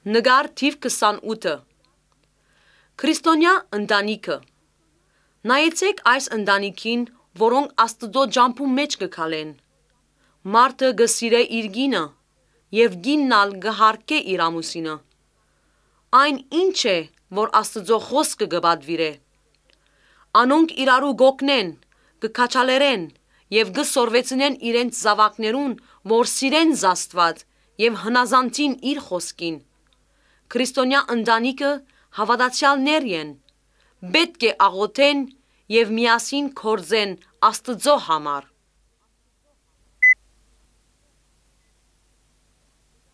Նկար թիվ 28-ը Քրիստոնյա ընտանիքը Նայեցեք այս ընտանիքին, որոնք Աստծո ջամփու մեջ կգալեն։ Մարդը գսիրե իր գինը, եւ գինն ալ գհարկե իր ամուսինը։ Այն ինչ է, որ Աստծո խոսքը կպատվիրե։ Անոնք իրարու գոկնեն, կքաչալերեն եւ կսորվեցնեն իրենց զավակներուն, որ սիրեն Աստված եւ հնազանդին իր խոսքին։ Քրիստոնյա ընտանիքը հավատացյալներ են, պետք է աղոթեն եւ միասին կործեն Աստծո համար։